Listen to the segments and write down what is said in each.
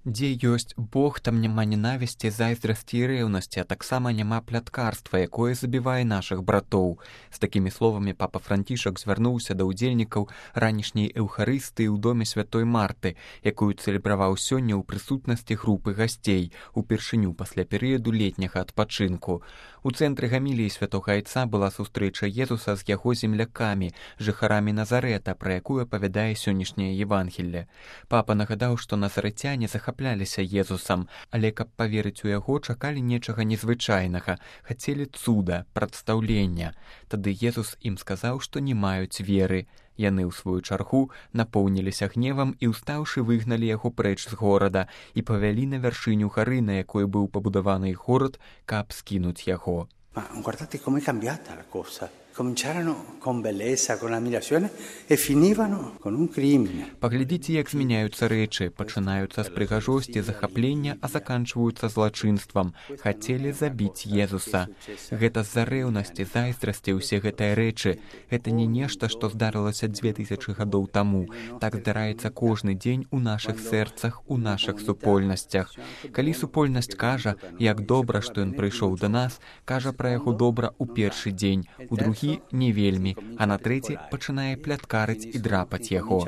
Дзе ёсць Бог, там няма ненавісці, зайздрасці і рэўнасці, а таксама няма пляткарства, якое забівае нашых братоў. З такімі словамі папа Францішак звярнуўся да ўдзельнікаў ранішняй эўхарыстыі ў доме святой Марты, якую цэлебраваў сёння ў прысутнасці групы гасцей, упершыню пасля перыяду летняга адпачынку. У цэнтры гаміліі святога айца была сустрэча Езуса з яго землякамі, жыхарамі Назарэта, пра якую апавядае сённяшняе Евангелле. Папа нагадаў, што назарэцяне захапляліся Езусам, але каб паверыць у яго, чакалі нечага незвычайнага, хацелі цуда, прадстаўлення. Тады Езус ім сказаў, што не маюць веры. Яны, ў сваю чаргу, напоўніліся гневам і, устаўшы, выгналі яго прэч з горада і павялі на вяршыню гары, на якой быў пабудаваны горад, каб скінуць яго. Ma guardate com'è cambiata la cosa. Cominciarono con bellezza, con ammirazione e finivano con un crimine. Паглядзіце, як змяняюцца рэчы, пачынаюцца з прыгажосці, захаплення, а заканчваюцца злачынствам. Хацелі забіць Езуса. Гэта з-за рэўнасці, зайздрасці ўсе гэтыя рэчы. Гэта не нешта, што здарылася 2000 гадоў таму. Так здараецца кожны дзень у нашых сэрцах, у нашых супольнасцях. Калі супольнасць кажа, як добра, што ён прыйшоў да нас, кажа пра яго добра ў першы дзень, у другі не вельмі, а на трэці пачынае пляткарыць і драпаць яго.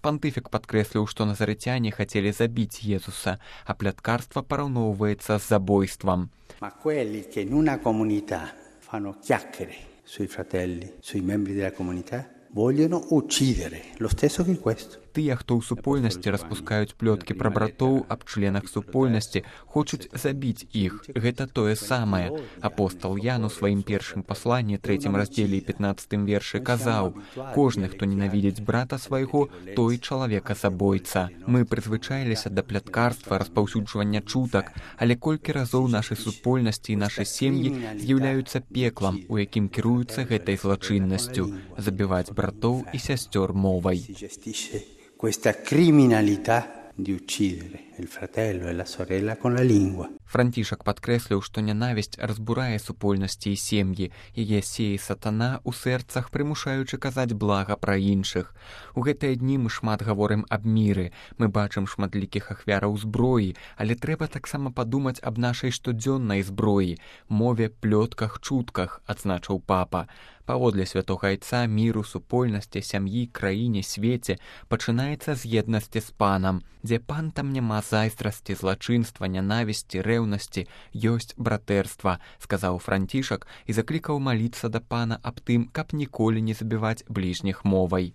Пантыфік падкрэсліў, што назарэцяне хацелі забіць Езуса, а пляткарства параўноўваецца з забойствам. Ma quelli che in una comunità fanno chiacchiere sui fratelli, sui membri della comunità, vogliono uccidere lo stesso che questo. Тыя, хто ў супольнасці распускаюць плёткі пра братоў аб членах супольнасці, хочуць забіць іх. Гэта тое самае. Апостал Ян у сваім першым пасланні, 3 раздзеле і 15 вершы казаў: «Кожны, хто ненавідзіць брата свайго, той чалавека-забойца». Мы прызвычаіліся да пляткарства, распаўсюджвання чутак, але колькі разоў нашы супольнасці і нашы сем'і з'яўляюцца пеклам, у якім кіруюцца гэтай злачыннасцю – забіваць братоў і сясцёр мовай. Questa criminalità di uccidere il fratello e la sorella con la lingua. Францішак падкрэсліў, што нянавісць разбурае супольнасці і сем'і, яе сее сатана ў сэрцах, прымушаючы казаць блага пра іншых. У гэтыя дні мы шмат гаворым аб міры, мы бачым шматлікіх ахвяраў зброі, але трэба таксама падумаць аб нашай штодзённай зброі, мове, плётках, чутках, адзначыў папа. Паводле святога айца міру, супольнасці, сям'і, краіне, свеце пачынаецца з еднасці з панам. Дзе пан, там няма зайздрасці, злачынства, нянавісці, рэўнасці, ёсць братэрства, сказаў Францішак і заклікаў маліцца да пана аб тым, каб ніколі не забіваць бліжніх мовай.